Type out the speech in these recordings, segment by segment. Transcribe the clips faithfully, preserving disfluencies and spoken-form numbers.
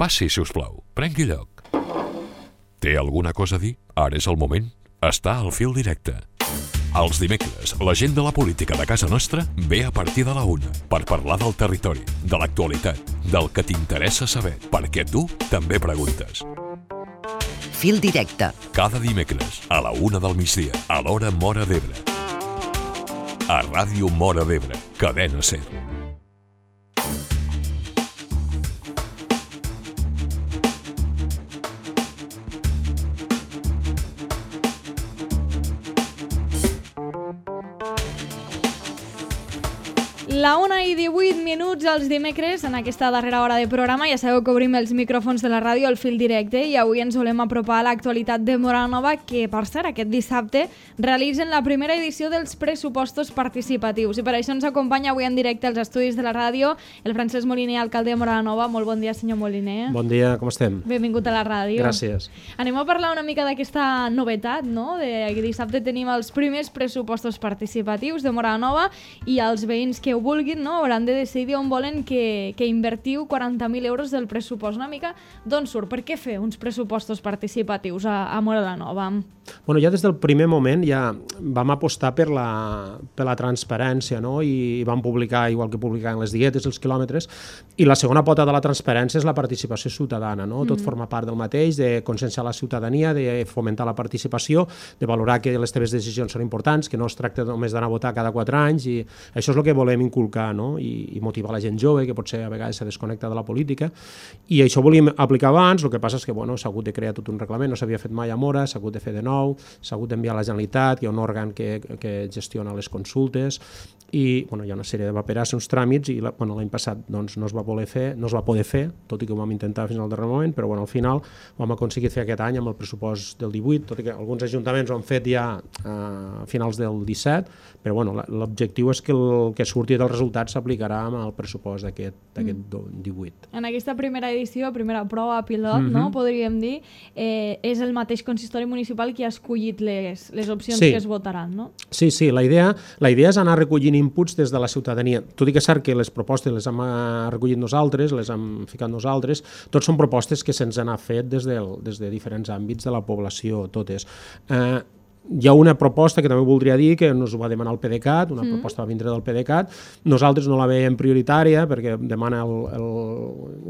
Passi, si us plau. Prengui lloc. Té alguna cosa a dir? Ara és el moment. Està al fil directe. Els dimecres, la gent de la política de casa nostra ve a partir de la una per parlar del territori, de l'actualitat, del que t'interessa saber, perquè tu també preguntes. Fil directe. Cada dimecres, a la una del migdia, a l'hora Móra d'Ebre. A Ràdio Móra d'Ebre, Cadena SER. La una i divuit minuts els dimecres, en aquesta darrera hora de programa. Ja sabeu que obrim els micròfons de la ràdio al fil directe i avui ens volem apropar a l'actualitat de Móra Nova, que, per cert, aquest dissabte realitzen la primera edició dels pressupostos participatius. I per això ens acompanya avui en directe als estudis de la ràdio el Francesc Moliner, alcalde de Móra Nova. Molt bon dia, senyor Moliner. Bon dia, com estem? Benvingut a la ràdio. Gràcies. Anem a parlar una mica d'aquesta novetat, no? De que dissabte tenim els primers pressupostos participatius de Móra Nova i els veïns que ho vulguin, no, hauran de decidir on volen que, que invertiu quaranta mil euros del pressupost. Una mica d'on surt? Per què fer uns pressupostos participatius a, a Móra Nova? Bueno, ja des del primer moment ja vam apostar per la, per la transparència, no? I vam publicar, igual que publicaven les dietes, els quilòmetres, i la segona pota de la transparència és la participació ciutadana, no? Mm. Tot forma part del mateix, de conscienciar la ciutadania, de fomentar la participació, de valorar que les teves decisions són importants, que no es tracta només d'anar a votar cada quatre anys, i això és el que volem inculcar, no? I, i motivar la gent jove, que potser a vegades se desconnecta de la política, i això volíem aplicar abans. El que passa és que bueno, s'ha hagut de crear tot un reglament, no s'havia fet mai a Móra, s'ha hagut de fer de nou, s'ha hagut d'enviar a la Generalitat, hi ha un òrgan que, que gestiona les consultes, i bueno, hi ha una sèrie de paperasses, uns tràmits, i la, bueno, l'any passat doncs, no es va poder fer, no es va poder fer, tot i que ho vam intentar fins al darrer moment, però bueno, al final ho hem aconseguit fer aquest any amb el pressupost del divuit, tot i que alguns ajuntaments ho han fet ja a finals del disset, però bueno, l'objectiu és que el que surti del resultat s'aplicarà amb el pressupost d'aquest mm. divuit. En aquesta primera edició, primera prova pilot, mm-hmm. no, podríem dir, eh, és el mateix consistori municipal qui ha escollit les, les opcions sí. que es votaran, no? Sí, sí, la idea, la idea és anar recollint inputs des de la ciutadania. Tot i que és cert que les propostes les hem recollit nosaltres, les hem ficat nosaltres, tots són propostes que se'ns han fet des, del, des de diferents àmbits de la població, totes. Eh, Hi ha una proposta que també voldria dir, que ens ho va demanar el PDeCAT, una mm. proposta va vindre del PDeCAT. Nosaltres no la veiem prioritària perquè demana el, el,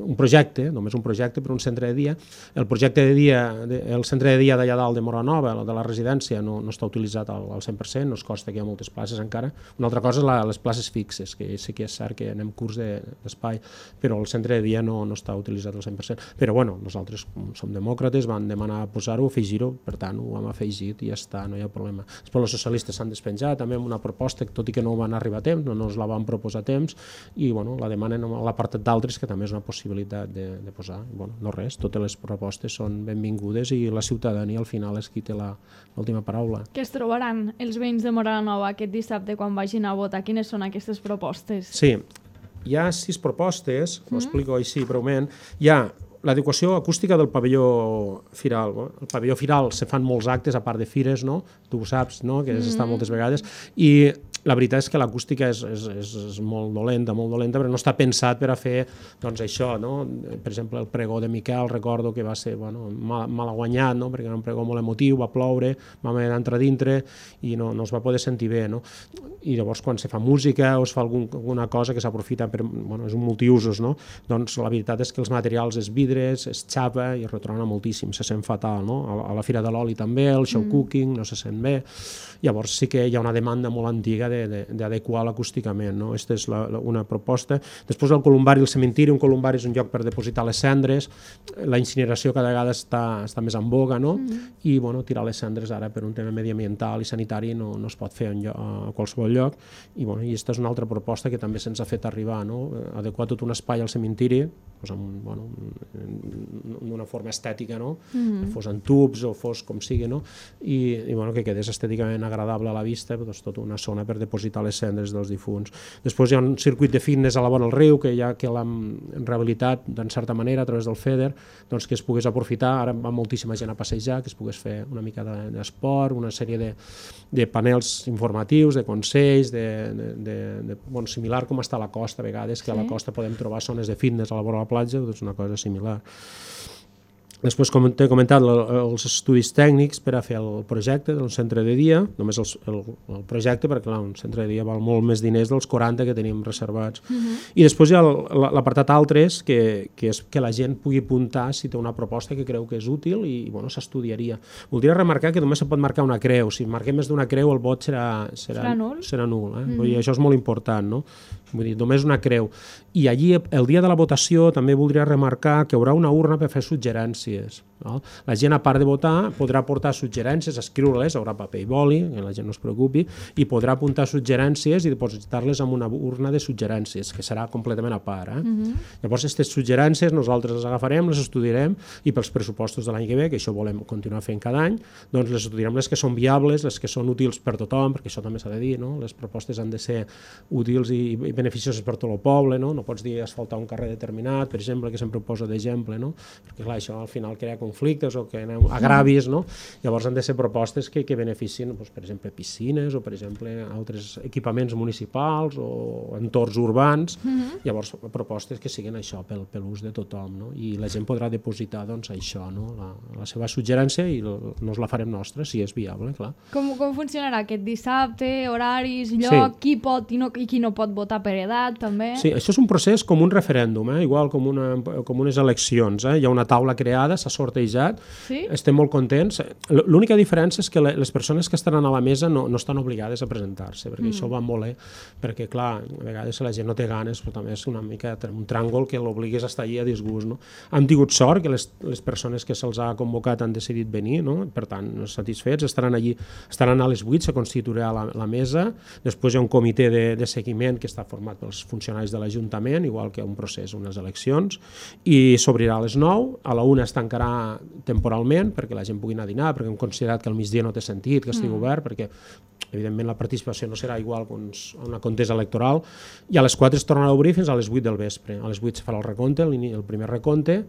un projecte, només un projecte per un centre de dia. El projecte de dia, el centre de dia d'allà dalt de Móra Nova, el de la residència, no, no està utilitzat al, al cent per cent, no es costa que hi ha moltes places encara. Una altra cosa és la, les places fixes, que sí que és cert que anem curs d'espai, però el centre de dia no, no està utilitzat al cent per cent. Però bueno, nosaltres som demòcrates, van demanar posar-ho, afegir-ho, per tant ho hem afegit i ja està. No hi ha problema. Després els socialistes s'han despenjat també amb una proposta, tot i que no van arribar a temps, no ens la van proposar a temps, i bueno, la demanen a l'apartat d'altres, que també és una possibilitat de, de posar. I, bueno, no res, totes les propostes són benvingudes i la ciutadania al final és qui té l'última paraula. Què es trobaran els veïns de Móra Nova aquest dissabte quan vagin a votar? Quines són aquestes propostes? Sí, hi ha sis propostes, mm-hmm. ho explico així breument. Hi ha l'adequació acústica del pavelló firal. No? El pavelló firal se fan molts actes, a part de fires, no? Tu ho saps, no? Que has estat moltes vegades, i la veritat és que l'acústica és, és, és, és molt dolenta, molt dolenta, però no està pensat per a fer doncs, això. No? Per exemple, el pregó de Miquel, recordo que va ser bueno, mal, mal guanyat, no? Perquè era un pregó molt emotiu, va ploure, vam haver d'entrar dintre i no, no es va poder sentir bé. No? I llavors, quan se fa música o es fa algun, alguna cosa que s'aprofita per... Bueno, és un multiusos, no? Doncs la veritat és que els materials és vidres, es xapa i es retrona moltíssim, se sent fatal. No? A, a la Fira de l'Oli també, el show mm. cooking, no se sent bé. Llavors sí que hi ha una demanda molt antiga d'adequar l'acústicament, no? Aquesta és la, la, una proposta. Després el columbari i el cementiri, un columbari és un lloc per depositar les cendres, la incineració cada vegada està, està més en boga, no? Mm-hmm. I bueno, tirar les cendres ara per un tema mediambiental i sanitari no, no es pot fer en lloc, a qualsevol lloc, i bueno, i aquesta és una altra proposta que també se'ns ha fet arribar, no? Adequar tot un espai al cementiri, doncs amb, bueno, d'una forma estètica, no? Mm-hmm. Fos en tubs o fos com sigui, no? I, i bueno, que quedés estèticament agradable a la vista, doncs tota una zona per depositar les cendres dels difunts. Després hi ha un circuit de fitness a la vora del riu, que ja que l'hem rehabilitat, d'en certa manera, a través del FEDER, doncs que es pogués aprofitar. Ara va moltíssima gent a passejar, que es pogués fer una mica d'esport, una sèrie de, de panels informatius, de consells, de, de, de, de, bon, similar com està a la costa, a vegades, que sí. A la costa podem trobar zones de fitness a la vora de la platja, doncs una cosa similar. Després, com t'he comentat, els estudis tècnics per a fer el projecte d'un centre de dia, només el, el, el projecte, perquè clar, un centre de dia val molt més diners dels quaranta que tenim reservats. Uh-huh. I després hi ha l'apartat altres, que, que és que la gent pugui apuntar si té una proposta que creu que és útil i bueno, s'estudiaria. Voldria remarcar que només se pot marcar una creu. Si marquem més d'una creu, el vot serà, serà, serà nul. Serà nul eh? Uh-huh. I això és molt important, no? Vull dir, només una creu. I allí, el dia de la votació, també voldria remarcar que hi haurà una urna per fer suggerències. No? La gent, a part de votar, podrà aportar suggerències, escriure-les, haurà paper i boli, que la gent no es preocupi, i podrà apuntar suggerències i depositar-les en una urna de suggerències, que serà completament a part. Eh? Uh-huh. Llavors, aquestes suggerències nosaltres les agafarem, les estudiarem, i pels pressupostos de l'any que ve, que això volem continuar fent cada any, doncs les estudiarem les que són viables, les que són útils per tothom, perquè això també s'ha de dir, no? Les propostes han de ser útils i, i beneficioses per tot el poble, no? No pots dir asfaltar un carrer determinat, per exemple, que sempre ho poso d'exemple, no? Perquè clar, això al final crea conflictes o que agravis, no? Llavors han de ser propostes que, que beneficien, doncs, per exemple, piscines o, per exemple, altres equipaments municipals o entorns urbans. Uh-huh. Llavors, propostes que siguin això pel, per l'ús de tothom, no? I la gent podrà depositar, doncs, això, no? La, la seva suggerència i nos la farem nostra, si és viable, clar. Com, com funcionarà aquest dissabte, horaris, lloc, sí. Qui pot i, no, i qui no pot votar per edat, també? Sí, això és un procés com un referèndum, eh? Igual com, una, com unes eleccions. Eh? Hi ha una taula creada, s'ha sortejat, sí? Estem molt contents. L'única diferència és que les persones que estaran a la mesa no, no estan obligades a presentar-se, perquè mm. això va molt bé, perquè clar, a vegades la gent no té ganes, però també és una mica un tràngol que l'obligues a estar allà a disgust. No? Hem tingut sort que les, les persones que se'ls ha convocat han decidit venir, no? Per tant, satisfets, estaran allí, estaran a les vuit, se constituirà la, la mesa, després hi ha un comitè de, de seguiment que està format pels funcionaris de l'Ajuntament, igual que un procés, unes eleccions, i s'obrirà a les nou, a la una es tancarà temporalment perquè la gent pugui anar a dinar, perquè hem considerat que al migdia no té sentit que estigui mm. obert, perquè evidentment la participació no serà igual que una contesa electoral, i a les quatre es tornarà a obrir fins a les vuit del vespre. A les vuit es farà el recompte, el, el primer recompte,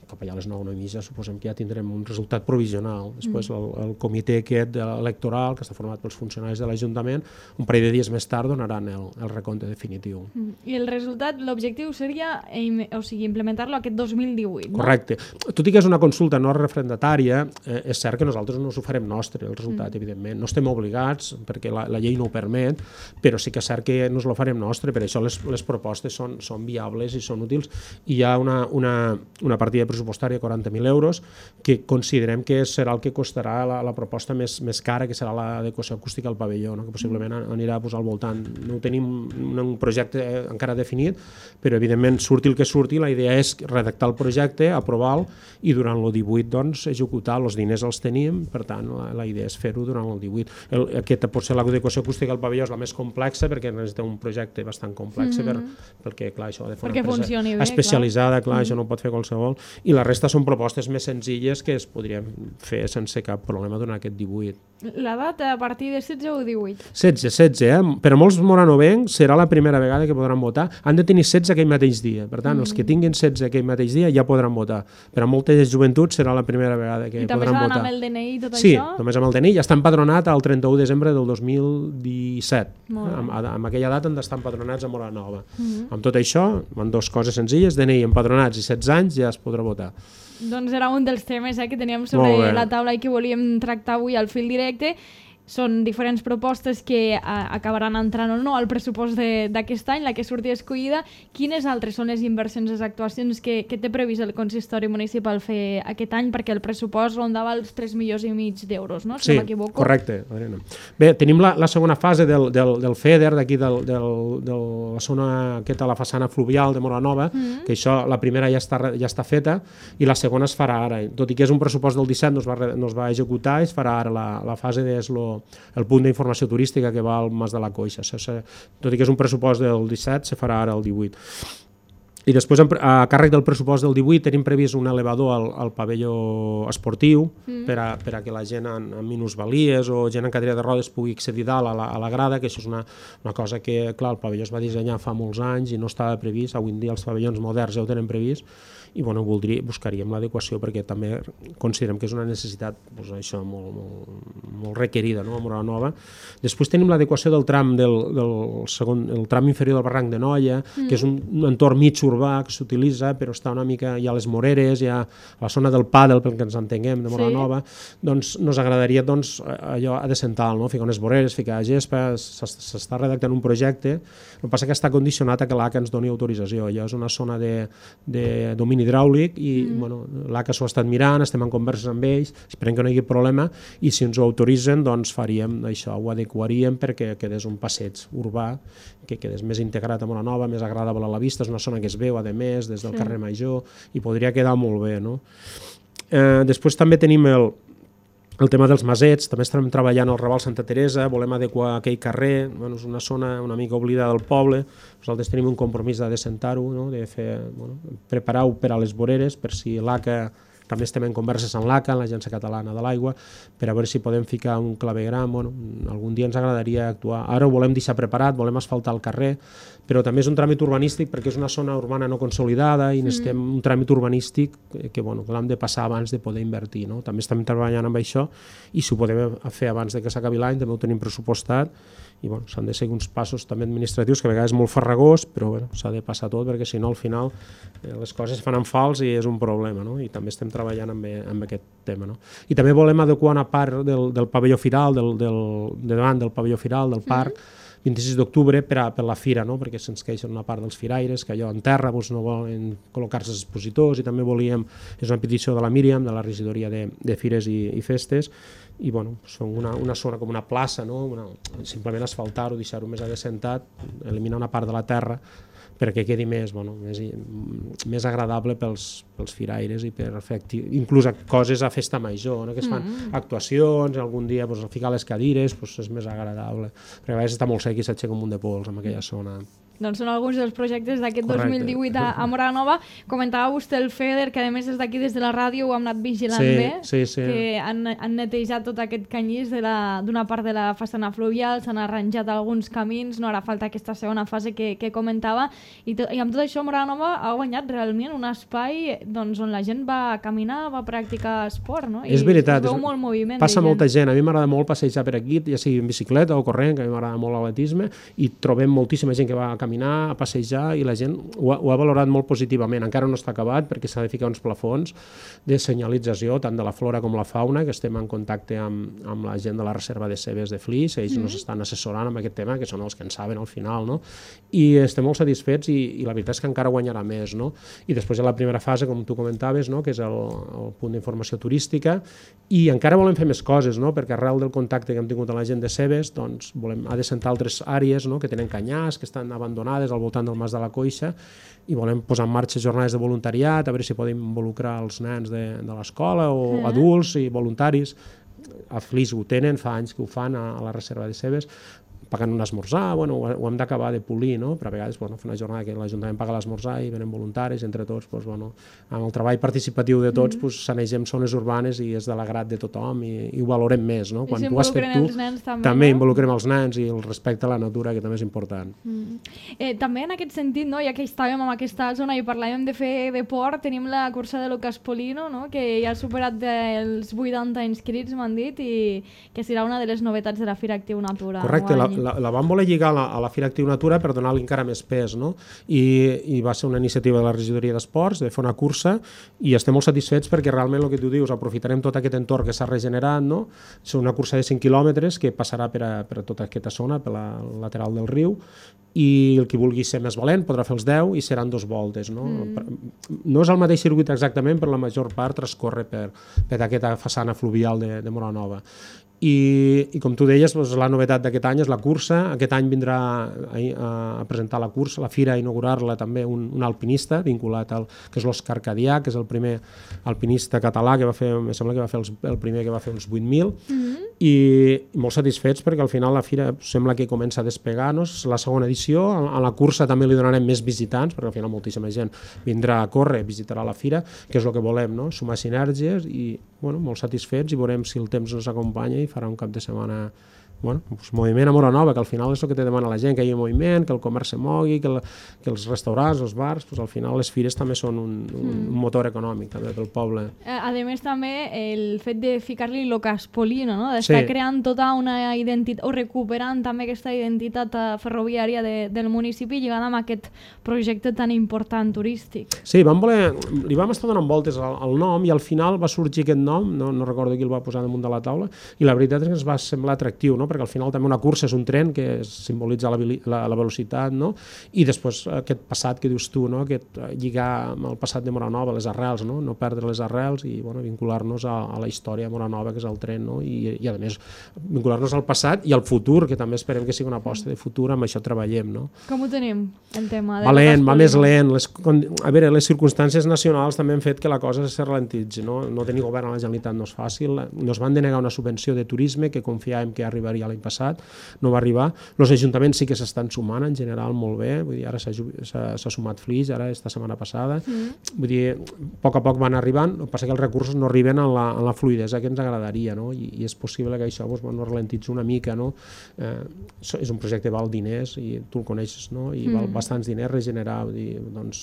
cap allà a les nou, nou i mitja, suposem que ja tindrem un resultat provisional. Després mm. el, el comitè aquest electoral, que està format pels funcionaris de l'Ajuntament, un parell de dies més tard donaran el, el recompte definitiu. Mm. I el resultat, l'objectiu seria o sigui, implementar-lo aquest dos mil divuit, no? Correcte. Tot i que és una consulta no referendatària, eh, és cert que nosaltres no us ho farem nostre, el resultat, mm. evidentment. No estem obligats, perquè la, la llei no ho permet, però sí que és cert que no us lo farem nostre, per això les, les propostes són, són viables i són útils, i hi ha una, una, una partida pressupostària de quaranta mil euros que considerem que serà el que costarà la, la proposta més, més cara, que serà l'adequació acústica al pavelló, no? Que possiblement anirà a posar al voltant. No tenim un, un projecte encara definit, però evidentment surti el que surti, la idea és redactar el projecte, aprovar-lo i durant el divuit doncs, executar. Els diners els tenim, per tant la, la idea és fer-ho durant el divuit. El, aquesta potser l'adequació acústica al pavelló és la més complexa perquè necessita un projecte bastant complex mm. per, perquè clar, això ha de fer una empresa bé, especialitzada, clar, clar mm. això no pot fer qualsevol, i la resta són propostes més senzilles que es podrien fer sense cap problema durant aquest divuit. La data a partir de setze o divuit? setze, setze, eh? Per a molts moranovencs serà la primera vegada que podran votar. Han de tenir setze aquell mateix dia, per tant, mm. els que tinguin setze aquell mateix dia ja podran votar. Per a moltes joventuts serà la primera vegada que podran votar. I també s'ha amb el D N I i tot sí, això? Sí, només amb el D N I. Ja està empadronat el trenta-u de desembre del dos mil disset. Amb, amb aquella data han d'estar empadronats a Moranova. Mm. Amb tot això, amb dues coses senzilles, D N I empadronats i setze anys ja es podrà votar. Doncs era un dels temes eh, que teníem sobre la taula i que volíem tractar avui al Fil Directe. Són diferents propostes que a, acabaran entrant o no al pressupost d'aquest any, la que surti escollida. Quines altres són les inversions, les actuacions que, que té previst el consistori municipal fer aquest any? Perquè el pressupost rondava els tres milions i mig d'euros, no? Si sí, no m'equivoco. Correcte, Adriana. Bé, tenim la, la segona fase del, del, del FEDER, d'aquí de la zona aquesta, la façana fluvial de Moranova, mm-hmm. que això, la primera ja està, ja està feta, i la segona es farà ara. Tot i que és un pressupost del disset, no es va, no es va executar, es farà ara la, la fase d'Eslo, el punt d'informació turística que va al Mas de la Coixa. Tot i que és un pressupost del disset, se farà ara el divuit. I després, a càrrec del pressupost del divuit, tenim previst un elevador al, al pavelló esportiu mm. per, a, per a que la gent amb, amb minusvalies o gent en cadira de rodes pugui accedir dalt a la, a la grada, que això és una, una cosa que, clar, el pavelló es va dissenyar fa molts anys i no estava previst. Avui en dia els pavellons moderns ja ho tenen previst i bueno, voldria, buscaríem l'adequació perquè també considerem que és una necessitat doncs, això, molt, molt, molt requerida, no? A Móra la Nova. Després tenim l'adequació del tram del, del segon, el tram inferior del barranc de Noia, mm. que és un, un entorn mig urbà que s'utilitza, però està una mica, hi ha les moreres, hi ha la zona del pàdel, pel que ens entenguem, de Móra la Nova, sí. Doncs nos agradaria doncs, allò a decental, no? Ficar unes voreres, ficar gespa, s'està redactant un projecte, el que passa que està condicionat a que l'A C A ens doni autorització, allò és una zona de, de domini hidràulic i mm. bueno, l'A C A s'ho ha estat mirant, estem en converses amb ells, esperem que no hi hagi problema i si ens ho autoritzen doncs faríem això, ho adequaríem perquè quedés un passeig urbà, que quedés més integrat a Móra Nova, més agradable a la vista, és una zona que es veu a més des del sí. carrer Major i podria quedar molt bé. No? Eh, després també tenim el El tema dels masets, també estem treballant al Raval Santa Teresa, volem adequar aquell carrer, bueno, és una zona una mica oblidada del poble, nosaltres tenim un compromís de decentar-ho, no? De fer, bueno, preparar-ho per a les voreres, per si l'A C A, també estem en converses amb l'A C A, l'Agència Catalana de l'Aigua, per a veure si podem ficar un clavegram, bueno, algun dia ens agradaria actuar. Ara ho volem deixar preparat, volem asfaltar el carrer, però també és un tràmit urbanístic perquè és una zona urbana no consolidada i necessitem mm. un tràmit urbanístic que, bueno, que l'hem de passar abans de poder invertir. No? També estem treballant amb això i si ho podem fer abans de que s'acabi l'any, també ho tenim pressupostat i bueno, s'han de seguir uns passos també administratius que a vegades és molt farragós, però bueno, s'ha de passar tot perquè si no al final eh, les coses fan en fals i és un problema, no? I també estem treballant amb, amb aquest tema. No? I també volem adequar una part del, del pavelló firal, del, del, de davant del pavelló firal, del parc, mm. vint-i-sis d'octubre per, a, per la fira, no? Perquè se'ns queixen una part dels firaires, que allò en terra doncs, no volen col·locar-se els expositors i també volíem, és una petició de la Míriam, de la regidoria de, de Fires i, i Festes, i bueno, són una, una zona com una plaça, no? Una, simplement asfaltar-ho, deixar-ho més adecentat, eliminar una part de la terra perquè quedi més, bueno, més, més agradable pels, pels firaires i per fer inclús coses a festa major, no? Que es fan mm. actuacions, algun dia pues, ficar les cadires pues, és més agradable, perquè a vegades està molt sec i s'aixeca un munt de pols en aquella zona. Doncs són alguns dels projectes d'aquest dos mil divuit a, a Móra la Nova. Comentava vostè el FEDER, que a més des d'aquí, des de la ràdio, ho hem anat vigilant sí, bé, sí, sí. que han, han netejat tot aquest canyís d'una part de la façana fluvial, s'han arranjat alguns camins, no harà falta aquesta segona fase que, que comentava, i, to, i amb tot això Móra la Nova ha guanyat realment un espai doncs, on la gent va caminar, va practicar esport, no? I és veritat, es veu molt moviment. Passa molta gent, a mi m'agrada molt passejar per aquí, ja sigui en bicicleta o corrent, que a mi m'agrada molt l'atletisme, i trobem moltíssima gent que va a caminar, a passejar, i la gent ho ha, ho ha valorat molt positivament. Encara no està acabat perquè s'ha de ficar uns plafons de senyalització tant de la flora com la fauna, que estem en contacte amb, amb la gent de la reserva de cebes de Flix, ells mm. nos estan assessorant amb aquest tema, que són els que en saben al final, no? I estem molt satisfets i, i la veritat és que encara guanyarà més, no? I després hi ha la primera fase, com tu comentaves, no? Que és el, el punt d'informació turística, i encara volem fer més coses, no? Perquè arrel del contacte que hem tingut amb la gent de Cebes, doncs volem adecentar altres àrees, no? Que tenen canyars, que estan abandonades al voltant del Mas de la Coixa, i volem posar en marxa jornades de voluntariat, a veure si podem involucrar els nens de, de l'escola o mm. adults i voluntaris. A Flix ho tenen, fa anys que ho fan a, a la reserva de Cebes, pagant un esmorzar, bueno, ho, ho hem d'acabar de polir, no? Però a vegades bueno, fer una jornada que l'Ajuntament paga l'esmorzar i venen voluntaris, entre tots, doncs, bueno, amb el treball participatiu de tots, mm. pues, sanegem zones urbanes i és de l'agrat de tothom i, i ho valorem més, no? Quan tu has fet tu, també, també no? involucrem els nens i el respecte a la natura, que també és important. Mm. Eh, també en aquest sentit, no? Ja que estàvem en aquesta zona i parlàvem de fer deport, tenim la cursa de Lucas Polino, no? Que ja ha superat els vuitanta inscrits, m'han dit, i que serà una de les novetats de la Fira Actiu Natura. Correcte, la, la, la vam voler lligar a la, a la Fira Actiu Natura per donar-li encara més pes, no? I, i va ser una iniciativa de la regidoria d'Esports de fer una cursa i estem molt satisfets perquè realment el que tu dius, aprofitarem tot aquest entorn que s'ha regenerat, no? És una cursa de cinc quilòmetres que passarà per, a, per a tota aquesta zona, per la lateral del riu, i el que vulgui ser més valent podrà fer els deu i seran dos voltes, no? Mm. No és el mateix circuit exactament, però la major part transcorre per, per aquesta façana fluvial de, de Móra la Nova. I, i com tu deies, doncs, la novetat d'aquest any és la cursa. Aquest any vindrà a, a presentar la cursa, la fira, a inaugurar-la també un, un alpinista vinculat al que és l'Òscar Cadià, que és el primer alpinista català que va fer, em sembla que va fer els, el primer que va fer uns vuit mil, mm-hmm. i, i molt satisfets perquè al final la fira sembla que comença a despegar, no? És la segona edició, a, a la cursa també li donarem més visitants, perquè al final moltíssima gent vindrà a córrer, visitarà la fira, que és el que volem, no? Sumar sinergies i, bueno, molt satisfets, i veurem si el temps ens acompanya i farà un cap de setmana, bueno, doncs moviment a Móra-Nova, que al final és el que te demana la gent, que hi hagi moviment, que el comerç se mogui, que, el, que els restaurants, els bars, doncs al final les fires també són un, un, un motor econòmic també pel poble. A més també el fet de ficar-li lo Caspolino, no? D'estar sí. creant tota una identitat, o recuperant també aquesta identitat ferroviària de, del municipi, lligant amb aquest projecte tan important turístic. Sí, vam voler, li vam estar donant voltes al, al nom, i al final va sorgir aquest nom, no, no recordo qui el va posar damunt de la taula, i la veritat és que ens va semblar atractiu, no? Perquè al final també una cursa és un tren que simbolitza la, la, la velocitat, no? I després aquest passat que dius tu, no? Aquest lligar amb el passat de Móra-Nova, les arrels, no? No perdre les arrels i, bueno, vincular-nos a, a la història de Móra-Nova, que és el tren, no? I, i a més vincular-nos al passat i al futur, que també esperem que sigui una aposta de futur, amb això treballem, no? Com ho tenim, el tema? Va lent, va més lent. Les, a veure, les circumstàncies nacionals també han fet que la cosa se ralentitzi, no? No tenir govern a la Generalitat no és fàcil. Nos van denegar una subvenció de turisme que confiàvem que arribaria l'any passat, no va arribar. Els ajuntaments sí que s'estan sumant en general molt bé, vull dir, ara s'ha sumat Flix, ara esta setmana passada, mm. vull dir, a poc a poc van arribant, el que passa que els recursos no arriben en la, en la fluidesa que ens agradaria, no? I, i és possible que això doncs, bueno, ralentitzi una mica, no? Eh, és un projecte que val diners, i tu el coneixes, no? I mm. val bastants diners regenerar, vull dir, doncs,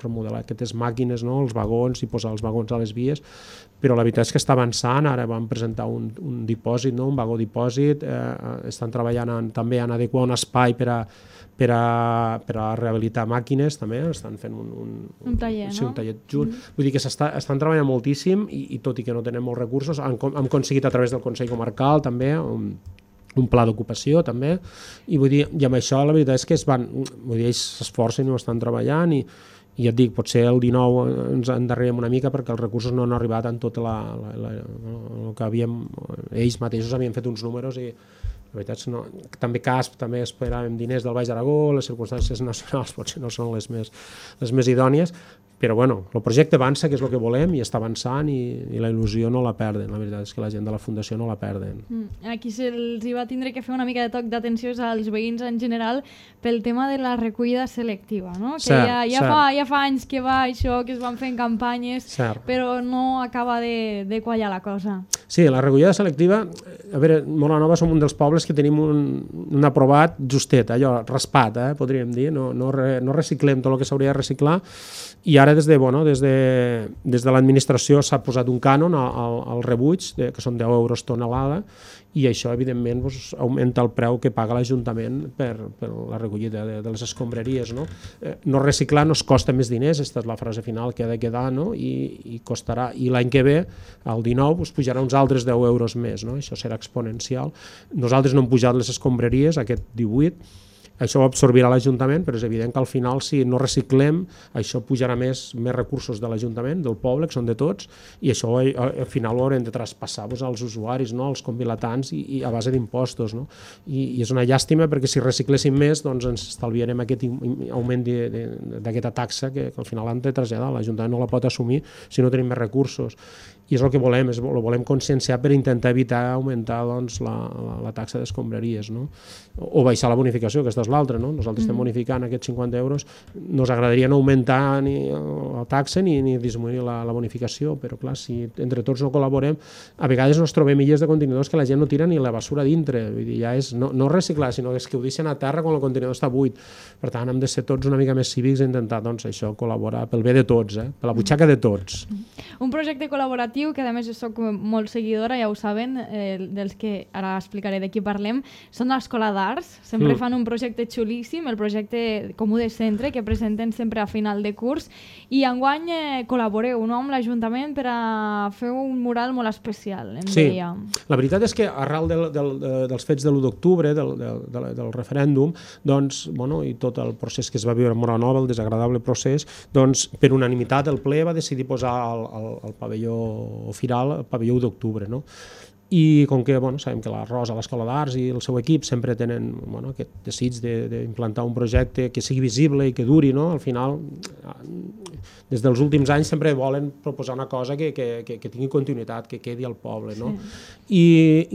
remodelar aquestes màquines, no? Els vagons, i posar els vagons a les vies, però la veritat és que està avançant. Ara vam presentar un, un dipòsit, no? Un vagó dipòsit, eh, estan treballant en, també en adequar un espai per a, per a, per a rehabilitar màquines, també estan fent un, un, un taller, sí, no? un taller junt. Mm. Vull dir que estan treballant moltíssim i, i tot i que no tenen molts recursos, han, han aconseguit a través del Consell Comarcal també un, un pla d'ocupació també, i vull dir, i amb això la veritat és que es van, vull dir, ells s'esforcen i ho estan treballant, i i et dic, potser el dinou ens endarrerem una mica perquè els recursos no han arribat en tot la, la, la, el que havíem, ells mateixos havien fet uns números, i la veritat és que no, també C A S P, també esperàvem diners del Baix Aragó, les circumstàncies nacionals potser no són les més, les més idònies, però bueno, el projecte avança, que és el que volem, i està avançant, i, i la il·lusió no la perden, la veritat és que la gent de la Fundació no la perden. Mm. Aquí se'ls va tindre que fer una mica de toc d'atenció als veïns en general pel tema de la recollida selectiva, no? Que cert, ja, ja, cert. fa, ja fa anys que va això, que es van fent campanyes, cert. Però no acaba de, de quallar la cosa. Sí, la recollida selectiva, a veure, Móra-Nova som un dels pobles que tenim un, un aprovat justet, allò, raspat, eh, podríem dir, no, no, re, no reciclem tot el que s'hauria de reciclar, i ara des de, bueno, des de, des de l'administració s'ha posat un cànon al, al rebuig, de, que són deu euros tonelada, i això evidentment doncs, augmenta el preu que paga l'Ajuntament per, per la recollida de, de les escombraries, no? Eh, no reciclar no es costa més diners, aquesta és la frase final que ha de quedar, no? I, i costarà, i l'any que ve, el dinou, doncs, pujarà uns altres deu euros més, no? Això serà exponencial. Nosaltres no hem pujat les escombraries aquest divuit, això ho absorbirà l'Ajuntament, però és evident que al final, si no reciclem, això pujarà més, més recursos de l'Ajuntament, del poble, que són de tots, i això al final ho haurem de traspassar doncs, als usuaris, no? Als convilatants, i, i a base d'impostos, no? I, i és una llàstima, perquè si recicléssim més, doncs ens estalviarem aquest augment d'aquesta taxa que, que al final han de traslladar. L'Ajuntament no la pot assumir si no tenim més recursos. I és el que volem, és, el volem conscienciar per intentar evitar augmentar doncs, la, la, la taxa d'escombraries, no? O, o baixar la bonificació, aquesta és l'altra, no? Nosaltres mm. estem bonificant aquests cinquanta euros, nos agradaria no augmentar ni la taxa ni, ni disminuir la, la bonificació, però clar, si entre tots no col·laborem, a vegades ens trobem illes de contenidors que la gent no tira ni la basura dintre, vull dir, ja és no, no reciclar, sinó és que ho deixen a terra quan el contenidor està buit. Per tant, hem de ser tots una mica més cívics i intentar doncs, això col·laborar pel bé de tots, eh? Per la butxaca de tots. Un projecte col·laboratiu que a més jo soc molt seguidora, ja ho saben, eh, dels que ara explicaré de qui parlem, són l'Escola d'Arts, sempre mm. fan un projecte xulíssim, el projecte Comú de Centre, que presenten sempre a final de curs, i enguany eh, col·laboreu, no?, amb l'Ajuntament per a fer un mural molt especial, em sí. deia. La veritat és que arrel del, del, dels fets de l'u d'octubre, del, del, del, del referèndum, doncs, bueno, i tot el procés que es va viure a Móra-Nova, el desagradable procés, doncs, per unanimitat el ple va decidir posar el, el, el pavelló firal, el pavelló u d'octubre, no? i com que bueno, sabem que la Rosa, l'Escola d'Arts i el seu equip sempre tenen bueno, aquest desig d'implantar un projecte que sigui visible i que duri, no? Al final, des dels últims anys sempre volen proposar una cosa que, que, que, que tingui continuïtat, que quedi al poble, no? Sí. I,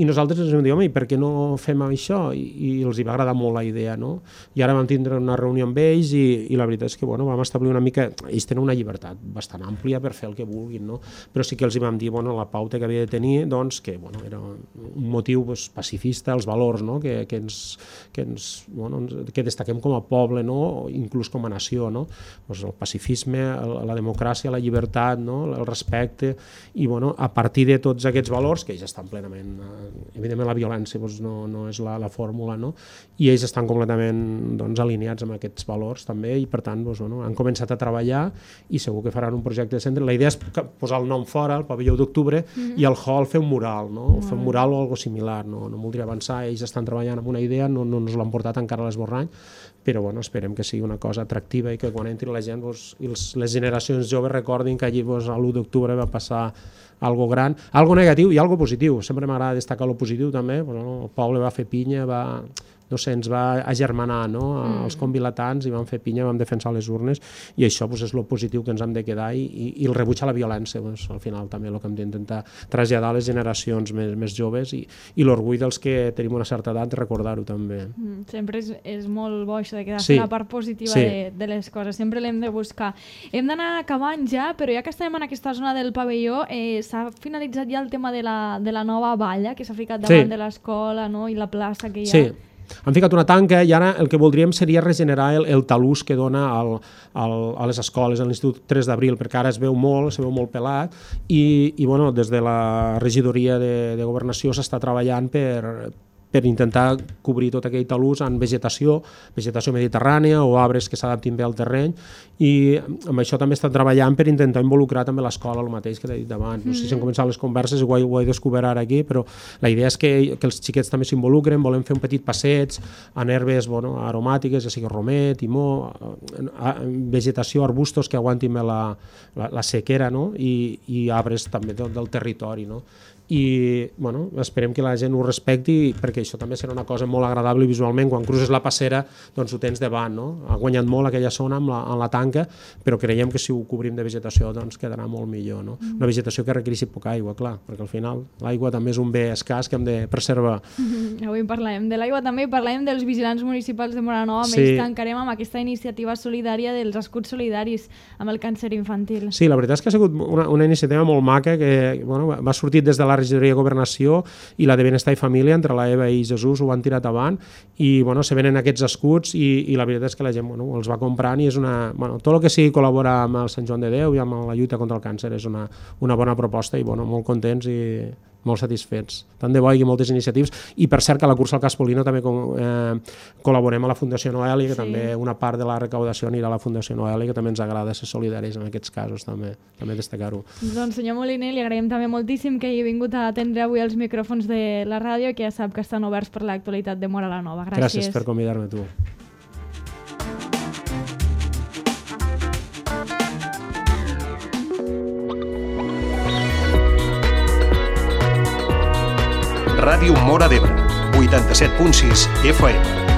I nosaltres ens vam dir, home, i per què no fem això? I, i els hi va agradar molt la idea, no? I ara vam tindre una reunió amb ells i, i la veritat és que bueno, vam establir una mica... Ells tenen una llibertat bastant àmplia per fer el que vulguin, no? Però sí que els hi vam dir, bueno, la pauta que havia de tenir, doncs, que bueno, era un motiu pues, pacifista, els valors, no? Que, que, ens, que, ens, bueno, que destaquem com a poble, no? Inclús com a nació, no? Pues el pacifisme, el, la democràcia, la llibertat, no? El respecte, i bueno, a partir de tots aquests valors, que ells estan plenament... Evidentment la violència doncs, no, no és la, la fórmula, no? I ells estan completament doncs, alineats amb aquests valors també, i per tant doncs, bueno, han començat a treballar i segur que faran un projecte de centre. La idea és posar el nom fora, el pavelló d'octubre, mm-hmm. i al hall fer un mural, no? O fer un mural o algo similar, no, no voldria avançar, ells estan treballant amb una idea, no, no ens l'han portat encara a l'esborrany, però bueno, esperem que sigui una cosa atractiva i que quan entri la gent doncs, i els, les generacions joves recordin que allí doncs, l'u d'octubre va passar algo gran, algo negatiu i algo positiu. Sempre m'agrada destacar lo positiu també, bueno, el poble va fer pinya, va... no sé, ens va agermanar, no? Mm. Els convilatans i vam fer pinya, vam defensar les urnes, i això pues, és el positiu que ens hem de quedar, i, i, i el rebuig a la violència, pues, al final també el que hem d'intentar traslladar a les generacions més, més joves, i, i l'orgull dels que tenim una certa edat, recordar-ho també. Mm, sempre és, és molt bo això de quedar sí. la part positiva sí. de, de les coses, sempre l'hem de buscar. Hem d'anar acabant ja, però ja que estem en aquesta zona del pavelló, eh, s'ha finalitzat ja el tema de la, de la nova valla que s'ha ficat davant sí. de l'escola, no? I la plaça que hi ha. Sí. Han ficat una tanca i ara el que voldríem seria regenerar el, el talús que dona al, al, a les escoles, a l'Institut tres d'abril, perquè ara es veu molt, es veu molt pelat, i, i bueno, des de la regidoria de, de governació s'està treballant per, per intentar cobrir tot aquell talús en vegetació, vegetació mediterrània o arbres que s'adaptin bé al terreny, i amb això també estan treballant per intentar involucrar també l'escola, el mateix que t'he dit abans. No sé si han començat les converses, ho he, ho he descobert ara aquí, però la idea és que, que els xiquets també s'involucren, volem fer un petit passeig en herbes bueno, aromàtiques, ja sigui romer, timó, vegetació, arbustos que aguantin bé la, la, la sequera, no? I, i arbres també del, del territori, no? I bueno, esperem que la gent ho respecti, perquè això també serà una cosa molt agradable visualment. Quan cruces la passera doncs ho tens davant, no? Ha guanyat molt aquella zona amb la, amb la tanca, però creiem que si ho cobrim de vegetació doncs quedarà molt millor, no? Mm. Una vegetació que requereixi poca aigua, clar, perquè al final l'aigua també és un bé escàs que hem de preservar. Mm-hmm. Avui parlem de l'aigua també, parlem dels vigilants municipals de Móra Nova, sí. Més tancarem amb aquesta iniciativa solidària dels escuts solidaris amb el càncer infantil. Sí, la veritat és que ha sigut una, una iniciativa molt maca que bueno, va sortir des de la regidoria de Governació i la de Benestar i Família, entre la Eva i Jesús ho han tirat avant, i bueno, se venen aquests escuts i, i la veritat és que la gent bueno, els va comprant, i és una... Bueno, tot el que sigui col·laborar amb el Sant Joan de Déu i amb la lluita contra el càncer és una, una bona proposta, i bueno, molt contents i molt satisfets. Tant de bo hi hagi moltes iniciatives, i per cert que a la cursa al Caspolino també eh, col·laborem a la Fundació Noeli, que sí. També una part de la recaudació anirà a la Fundació Noeli, que també ens agrada ser solidaris en aquests casos, també, també destacar-ho. Doncs senyor Moliner, li agraïm també moltíssim que hagi vingut a atendre avui els micròfons de la ràdio, que ja sap que estan oberts per l'actualitat de Móra la Nova. Gràcies. Gràcies per convidar-me, tu. Ràdio Móra d'Ebre, vuitanta-set punt sis F M.